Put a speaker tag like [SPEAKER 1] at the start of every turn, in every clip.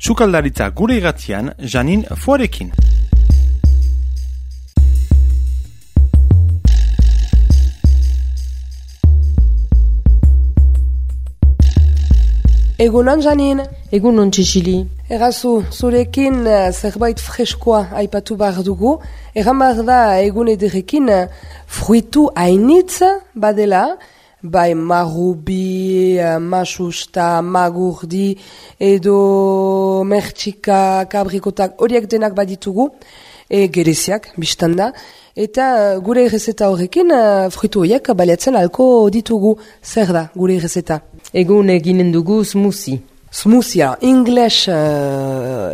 [SPEAKER 1] Sukaldaritza gure irratian, Janin Foarekin.
[SPEAKER 2] Egunon, Janin.
[SPEAKER 3] Egunon, Txixili.
[SPEAKER 2] Errazu, zurekin zerbait freskoa aipatu behar dugu. Egan behar da egun ederekin fruitu hainitz badela, bai marrubi, masusta, magurdi, edo mertxika, kabrikotak, horiek denak baditugu, gereziak, biztanda. Eta gure errezeta horrekin fruitu horiek baliatzen alko ditugu. Zer da gure errezeta?
[SPEAKER 3] Egun eginen dugu smoothie.
[SPEAKER 2] Smoothie, English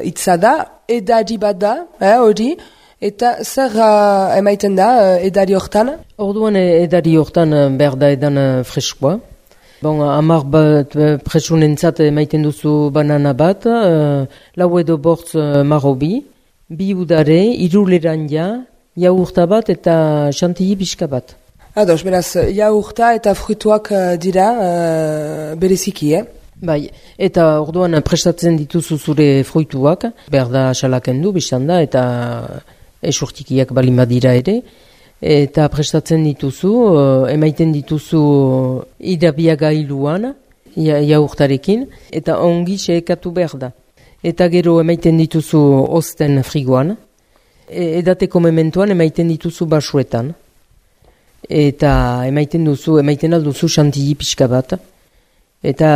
[SPEAKER 2] hitza da, edari bat da, hori, eta zer emaiten da edari hortan?
[SPEAKER 3] Orduan edari hortan behar da edan freskoa. Bon, 10 bat presunentzat emaiten duzu banana bat, lau edo bortz marrobi, 2 udare, 3 leranja, jaurta bat eta chantilly pixka bat.
[SPEAKER 2] Ados, beraz, jaurta eta fruituak dira bereziki,
[SPEAKER 3] Bai, eta orduan prestatzen dituzu zure fruituak, behar da salakendu, biztanda, eta esurtikiak balin badira ere, eta prestatzen dituzu, emaiten dituzu idabiagailuan, jaurtarekin, eta ongi xeekatu behar da. Eta gero emaiten dituzu osten frigoan, edateko mementoan emaiten dituzu basuetan. Eta emaiten alduzu chantilly pixka bat. Eta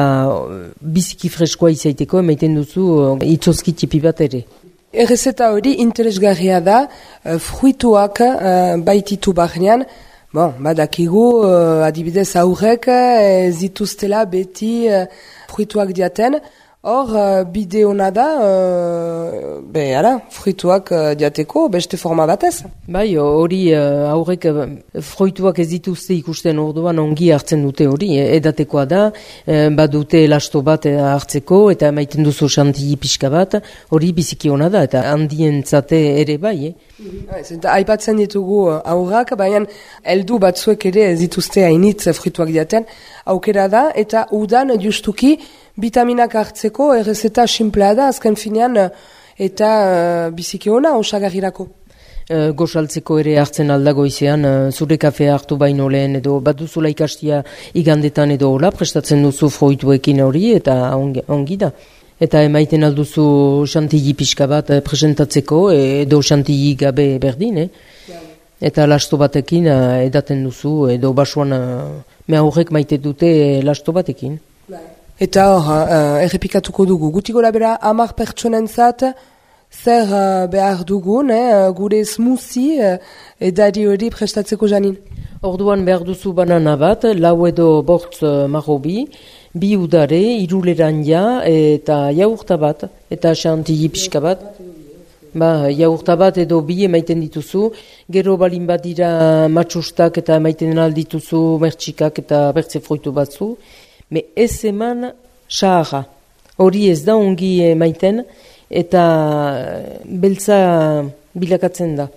[SPEAKER 3] biziki freskoa izaiteko emaiten duzu itzozki tipi bat ere.
[SPEAKER 2] Errezeta hori interesgarria da, fruituak baititu barnean, badakigu adibidez aurrek zituztela beti fruituak diaten. Hor, bide hona da, fruituak diateko beste forma batez.
[SPEAKER 3] Bai, hori aurrek fruituak ez dituzte ikusten orduan ongi hartzen dute hori. Edatekoa da, badute elasto bat hartzeko eta maiten duzu chantilly pixka bat, hori biziki hona da eta handientzate ere bai.
[SPEAKER 2] Aipatzen ditugu aurrak, baina heldu batzuek ere ez dituzte hainitz fruituak diaten. Aukera da eta udan justuki vitaminak hartzeko errezeta simplea da, azken finean, eta biziki ona, osagarrirako.
[SPEAKER 3] Gosaltzeko ere hartzen aldago izan, zure kafea hartu baino lehen, edo bat duzula ikastia igandetan edo hola, prestatzen duzu fruituekin hori, eta ongi da. Eta emaiten alduzu chantilly pixka bat presentatzeko, edo chantilly gabe berdin, Eta lasto batekin edaten duzu, edo basuan mea horrek maite dute lasto batekin.
[SPEAKER 2] Eta hor, errepikatuko dugu, guti gola bera 10 pertsonentzat, zer behar dugun, gure smoothie edari hori prestatzeko, Janin?
[SPEAKER 3] Orduan behar duzu banana bat, lau edo bortz marrobi, 2 udare, 3 leranja eta jaurta bat, eta chantilly pixka bat. Jaurta bat edo 2 emaiten dituzu, gero balin bat dira matxustak eta emaiten aldituzu mertxikak eta bertze fruitu batzu. Me ez eman saharra. Hori ez da ongi emaiten eta beltza bilakatzen da.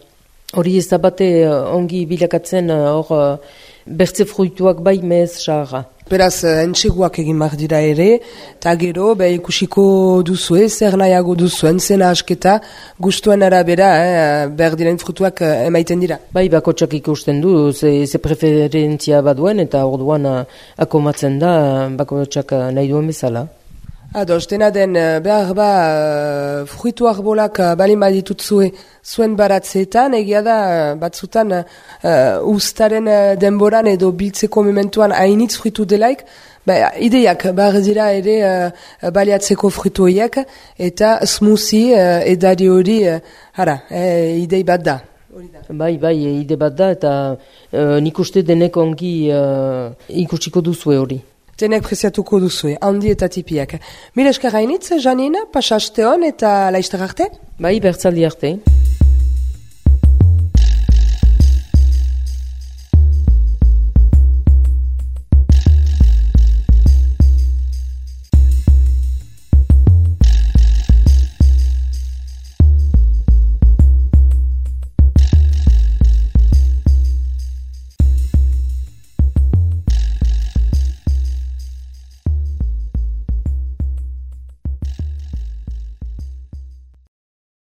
[SPEAKER 3] Hori ez da bate ongi bilakatzen hor bertze fruituak bai mez saharra.
[SPEAKER 2] Beraz, entxeguak egin behar dira ere, eta gero, ikusiko duzue, zer nahiago duzuen, zena asketa, gustuen arabera, behar diren fruituak emaiten dira.
[SPEAKER 3] Bai, bakotxak ikusten du, ze preferentzia baduen, eta orduan akomatzen da, bakotxak nahi duen bezala.
[SPEAKER 2] Ados, dena den, behar fruitu arbolak balin baditut zuen baratzeetan, egia da, batzutan ustaren denboran edo biltzeko mementuan hainitz fruitu delaik, ideiak behar dira ere baliatzeko fruitu horiek, eta smoothie edari hori, idei bat da.
[SPEAKER 3] Bai, ide bat da, eta nik uste denek ongi ikusiko duzue hori.
[SPEAKER 2] Denek preziatuko duzue, handi eta tipiak. Mila esker hainitz, Janin, pasaste hon eta laiztar arte?
[SPEAKER 3] Bai, bertzaldi arte.